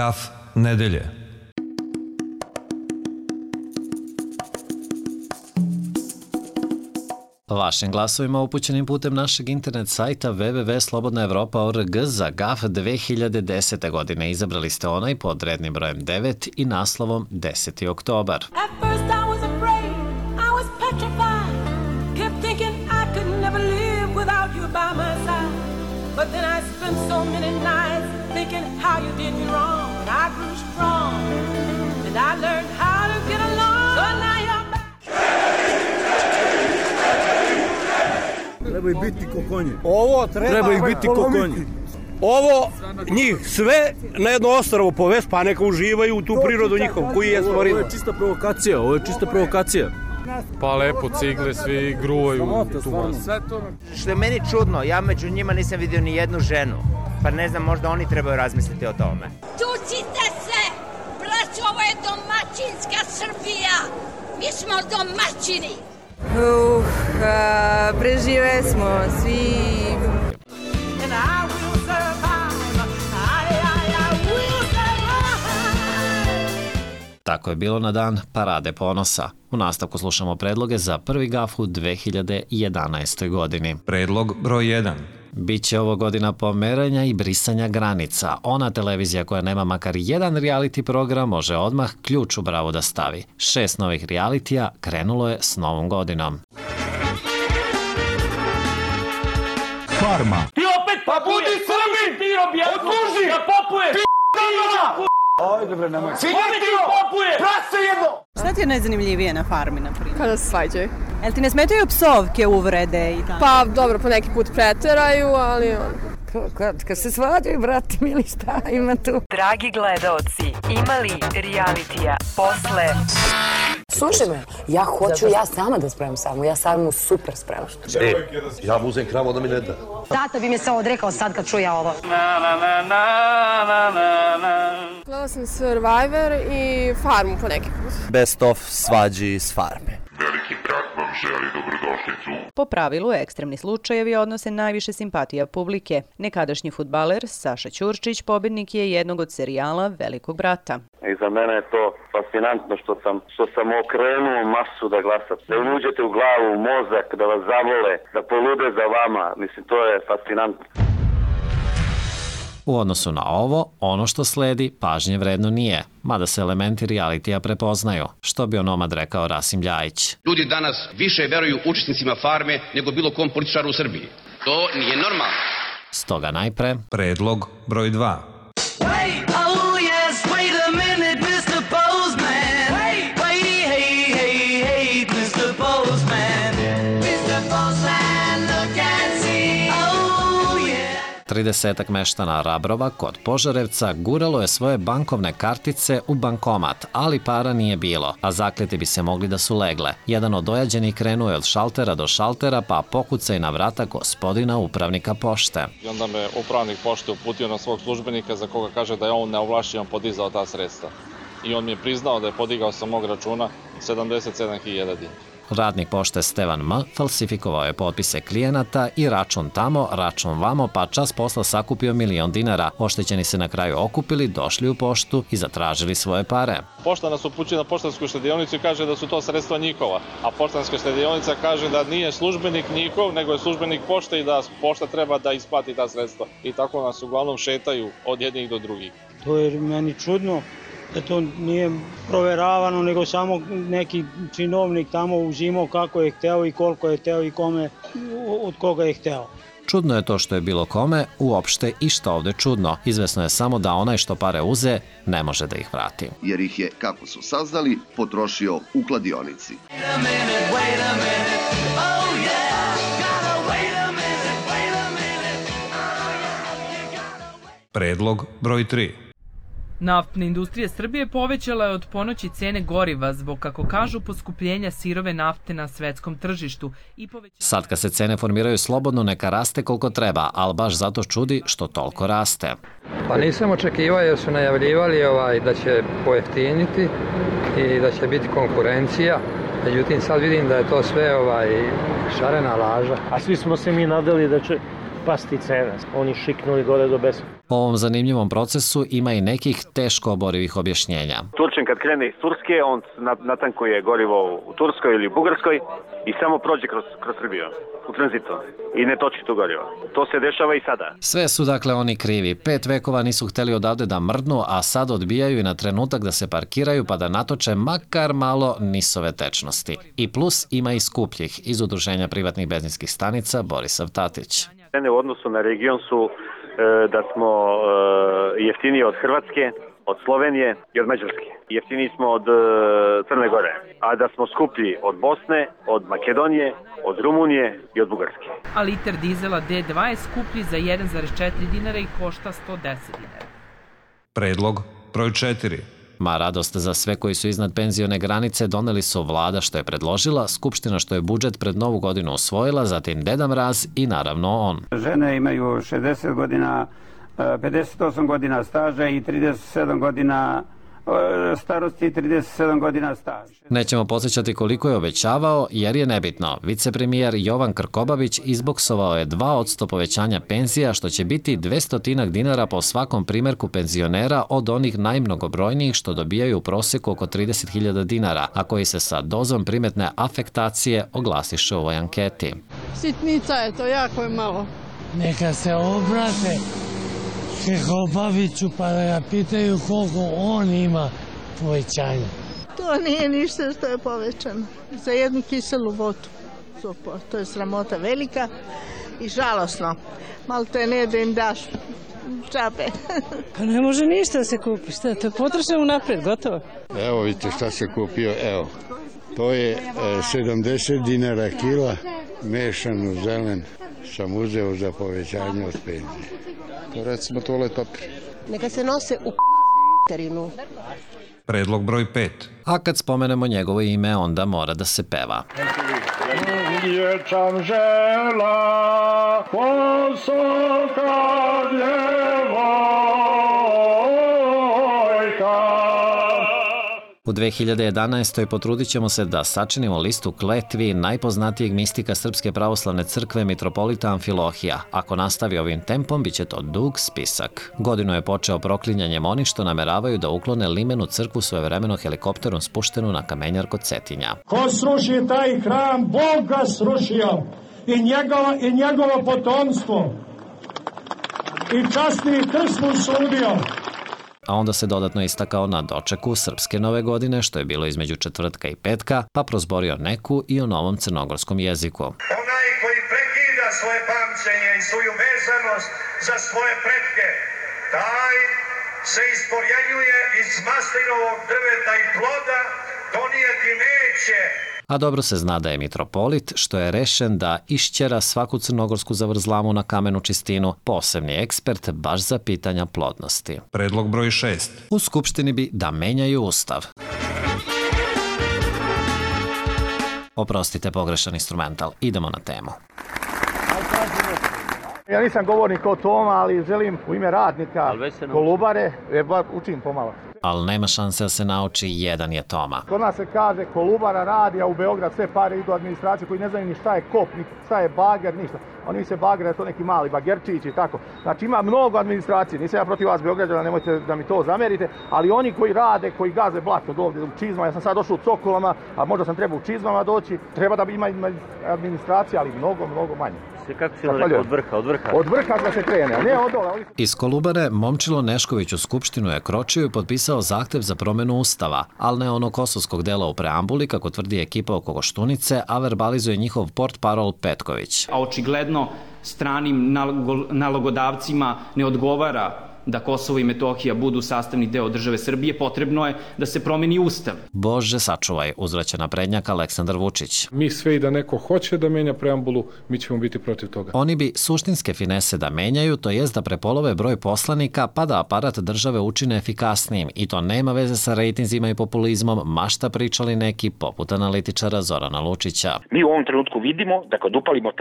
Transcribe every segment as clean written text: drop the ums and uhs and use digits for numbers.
Gaf nedelje. Vašim glasovima upućenim putem našeg internet sajta www.slobodnaevropa.org za GAF 2010. godine izabrali ste onaj pod rednim brojem 9 i naslovom 10. oktobar. But then I spent so many nights thinking how you did me wrong. And I grew strong, and I learned how to get along. So now you're back. Treba ih biti ko konji. Ovo treba ih biti ko konji. Ovo njih sve na jedno ostrvo povest, pa neka uživaju u tu prirodu njihovu koji je stvorio. Ovo je čista provokacija, ovo je čista provokacija. Pa lepo, cigle, svi gruvaju tu masu. Što je meni čudno, ja među njima nisam vidio ni jednu ženu. Pa ne znam, možda oni trebaju razmisliti o tome. Tucite se! Braćo, ovo je domaćinska Srbija! Mi smo domaćini! Prežive smo svi... Tako je bilo na dan Parade ponosa. U nastavku slušamo predloge za prvi GAF u 2011. godini. Predlog broj 1. Biće ovo godina pomeranja i brisanja granica. Ona televizija koja nema makar jedan reality program može odmah ključ u bravu da stavi. 6 novih realitija krenulo je s novom godinom. Farma. Ti opet, pa budi Srbin, ti objasno, odluži, da popuješ, Ajde bre, nemoj. Svi ti popuje, prase jedno! Šta ti je najzanimljivije na farmi, na primjer? Kada se svađaju. Jel ti ne smetaju psovke, uvrede i tako? Pa dobro, po neki put preteraju, ali Kad se svađaju, brate mili, šta ima tu? Dragi gledaoci, ima li realitija posle... Slušaj me, ja hoću ja sama da spremam samu, ja samu super spremam. Ja mu uzem kravu da mi ne da. Tata bi me se odrekao sad kad čuja ovo. Gledala sam Survivor i Farmu po neki put. Best of svađi s farme. Veliki brat vam želi dobrodošlicu. Po pravilu, ekstremni slučajevi odnose najviše simpatija publike. Nekadašnji fudbaler Saša Ćurčić pobednik je jednog od serijala Velikog brata. I za mene je to fascinantno što sam okrenuo masu da glasam. Da im uđete u glavu, u mozak, da vas zavole, da polude za vama. Mislim, to je fascinantno. U odnosu na ovo, ono što sledi pažnje vredno nije, mada se elementi realitija prepoznaju, što bi onomad rekao Rasim Ljajić. Ljudi danas više veruju učesnicima farme nego bilo kom političaru u Srbiji. To nije normalno. Stoga najpre... Predlog broj 2. Tridesetak meštana Rabrova kod Požarevca guralo je svoje bankovne kartice u bankomat, ali para nije bilo, a zakleti bi se mogli da su legle. Jedan od dojađenih krenuo je od šaltera do šaltera, pa pokucaj na vrata gospodina upravnika pošte. I onda me upravnik pošte uputio na svog službenika za koga kaže da je on neovlašćeno podizao ta sredstva. I on mi je priznao da je podigao sa mog računa 77.000 dinara. Radnik pošte Stevan M. falsifikovao je potpise klijenata i račun tamo, račun vamo, pa čas posla sakupio 1.000.000 dinara. Oštećeni se na kraju okupili, došli u poštu i zatražili svoje pare. Pošta nas upućuje na poštansku štedionicu i kaže da su to sredstva njihova, a poštanska štedionica kaže da nije službenik njihov, nego je službenik pošte i da pošta treba da isplati ta sredstva. I tako nas uglavnom šetaju od jednih do drugih. To je meni čudno da to nije proveravano, nego samo neki činovnik tamo uzimao kako je hteo i koliko je hteo i kome, od koga je hteo. Čudno je to što je bilo kome, uopšte i što ovde čudno. Izvesno je samo da onaj što pare uze, ne može da ih vrati. Jer ih je, kako su saznali, potrošio u kladionici. Predlog broj 3. Naftna industrija Srbije povećala je od ponoći cene goriva zbog, kako kažu, poskupljenja sirove nafte na svetskom tržištu. Sad kad se cene formiraju slobodno, neka raste koliko treba, ali baš zato čudi što toliko raste. Pa nisam očekivao jer su najavljivali da će pojeftiniti i da će biti konkurencija. Međutim, sad vidim da je to sve šarena laža. A svi smo se mi nadali da će pasti cena. Oni šiknuli gore do besa. O ovom zanimljivom procesu ima i nekih teško oborivih objašnjenja. Turčin kad krene iz Turske, on natankuje gorivo u Turskoj ili u Bugarskoj i samo prođe kroz Srbiju u tranzitu i ne toči tu gorivo. To se dešava i sada. Sve su dakle oni krivi. 5 vekova nisu hteli odavde da mrdnu, a sad odbijaju i na trenutak da se parkiraju pa da natoče makar malo nisove tečnosti. I plus ima i skupljih iz Udruženja privatnih benzinskih stanica Borisav Tatić. Cene u odnosu na region su da smo jeftiniji od Hrvatske, od Slovenije i od Mađarske. Jeftiniji smo od Crne Gore, a da smo skuplji od Bosne, od Makedonije, od Rumunije i od Bugarske. A liter dizela D2 je skuplji za 1,4 dinara i košta 110 dinara. Predlog broj 4. Ma radost za sve koji su iznad penzione granice doneli su vlada što je predložila, skupština što je budžet pred novu godinu usvojila, zatim Deda Mraz i naravno on. Žene imaju 60 godina, 58 godina staža i 37 godina starosti i 37 godina staža. Nećemo podsjećati koliko je obećavao jer je nebitno. Vicepremijer Jovan Krkobabić izboksovao je 2% povećanja penzija što će biti 200 dinara po svakom primjerku penzionera od onih najmnogobrojnijih što dobijaju u prosjeku oko 30.000 dinara, a koji se sa dozom primetne afektacije oglasiše u ovoj anketi. Sitnica je to, jako je malo. Neka se obrate Krkobabiću pa da ga pitaju koliko on ima povećanja. To nije ništa što je povećano. Za jednu kiselu vodu. To je sramota velika i žalosno. Malo te ne da im daš čape. Pa ne može ništa da se kupi. Šta, to je potrošeno napred, gotovo. Evo vidite šta se kupio, evo. To je 70 dinara kila, mešanu zelen sam uzeo za povećanje od penzije. To recimo toalet papir. Neka se nose u terinu. Predlog broj 5. A kad spomenemo njegovo ime, onda mora da se peva. Dječam žela, posoka djevojka. U 2011. potrudit ćemo se da sačinimo listu kletvi najpoznatijeg mistika Srpske pravoslavne crkve mitropolita Amfilohija. Ako nastavi ovim tempom, bit će to dug spisak. Godinu je počeo proklinjanjem onih što nameravaju da uklone limenu crkvu svojevremeno helikopterom spuštenu na kamenjar kod Cetinja. Ko sruši taj hram, Bog ga srušio i njegovo potomstvo. I časni krst mu sudio. A onda se dodatno istakao na dočeku Srpske nove godine, što je bilo između četvrtka i petka, pa prozborio neku i o novom crnogorskom jeziku. Onaj koji prekida svoje pamćenje i svoju vezanost za svoje pretke, taj se isporjenjuje iz maslinovog drveta i ploda, donijeti neće. A dobro se zna da je mitropolit, što je rešen da išćera svaku crnogorsku zavrzlamu na kamenu čistinu, posebni ekspert baš za pitanja plodnosti. Predlog broj 6. U Skupštini bi da menjaju ustav. Oprostite, pogrešan instrumental. Idemo na temu. Ja nisam govornik o tome, ali želim u ime radnika Kolubare, učim pomalo. Ali nema šanse da se nauči, jedan je Toma. Kod nas se kaže Kolubara radi, a u Beograd sve pare idu administraciju koji ne znaju ni šta je kop, ni šta je bager, ništa. Oni misle bager da je to neki mali bagerčić i tako. Znači ima mnogo administracije, nisam ja protiv vas Beograđana, nemojte da mi to zamerite, ali oni koji rade, koji gaze blato ovdje u čizmama, ja sam sad došao u Cokolama, a možda sam trebao u čizmama doći, treba da ima administracija, ali mnogo manje. Kako si rekao, od vrha? Od vrha da se krene, a ne od dole. Iz Kolubare Momčilo Nešković u Skupštinu je kročio i potpisao zahtev za promenu ustava, ali ne ono kosovskog dela u preambuli, kako tvrdi ekipa oko Koštunice, a verbalizuje njihov portparol Petković. A očigledno stranim nalogodavcima ne odgovara da Kosovo i Metohija budu sastavni deo države Srbije, potrebno je da se promeni ustav. Bože sačuvaj, uzvraća naprednjak Aleksandar Vučić. Mi sve i da neko hoće da menja preambulu, mi ćemo biti protiv toga. Oni bi suštinske finese da menjaju, to jest da prepolove broj poslanika pa da aparat države učine efikasnijim. I to nema veze sa rejtinzima i populizmom, mašta pričali neki poput analitičara Zorana Lučića. Mi u ovom trenutku vidimo da kad upalimo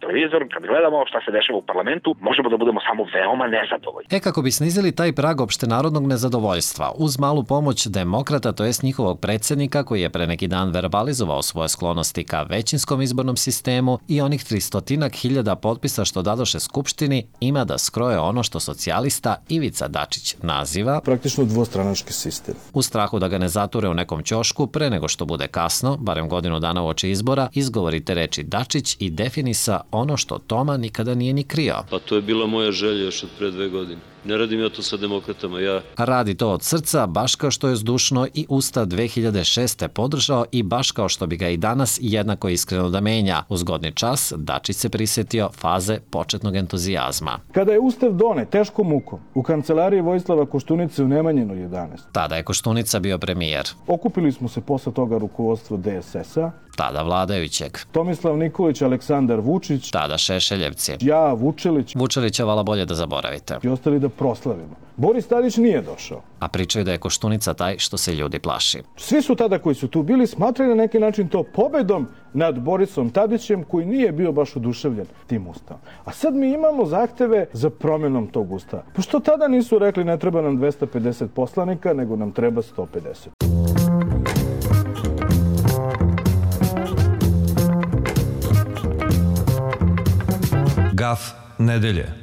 televizor, kad gledamo šta se dešava u parlamentu, možemo da budemo samo veoma nezadovoljni. Nekako bi snizili taj prag opštenarodnog nezadovoljstva uz malu pomoć demokrata, to jest njihovog predsjednika koji je pre neki dan verbalizovao svoje sklonosti ka većinskom izbornom sistemu i onih 300.000 potpisa što dadoše Skupštini ima da skroje ono što socijalista Ivica Dačić naziva praktično dvostranački sistem. U strahu da ga ne zature u nekom ćošku pre nego što bude kasno, barem godinu dana uoči izbora, izgovorite reči Dačić i definisa ono što Toma nikada nije ni krio. Pa to je bila moja želja još od pre 2 godine. Ne radim ja to sa demokratama, ja... Radi to od srca, baš kao što je zdušno i Ustav 2006. podržao i baš kao što bi ga i danas jednako iskreno da menja. U zgodni čas, Dačić se prisjetio faze početnog entuzijazma. Kada je Ustav donet teškom mukom u kancelariji Vojislava Koštunice u Nemanjinu 11. Tada je Koštunica bio premijer. Okupili smo se posle toga rukovodstvo DSS-a. Tada vladajućeg. Tomislav Nikolić, Aleksandar Vučić. Tada Šešeljevci. Ja, Vučelić. Vučelića vala bolje da zaboravite. I ostali da proslavimo. Boris Tadić nije došao. A pričaju da je Koštunica taj što se ljudi plaši. Svi su tada koji su tu bili smatrali na neki način to pobedom nad Borisom Tadićem koji nije bio baš oduševljen tim ustavom. A sad mi imamo zahteve za promjenom tog ustava. Pošto tada nisu rekli ne treba nam 250 poslanika, nego nam treba 150. Gaf nedelje.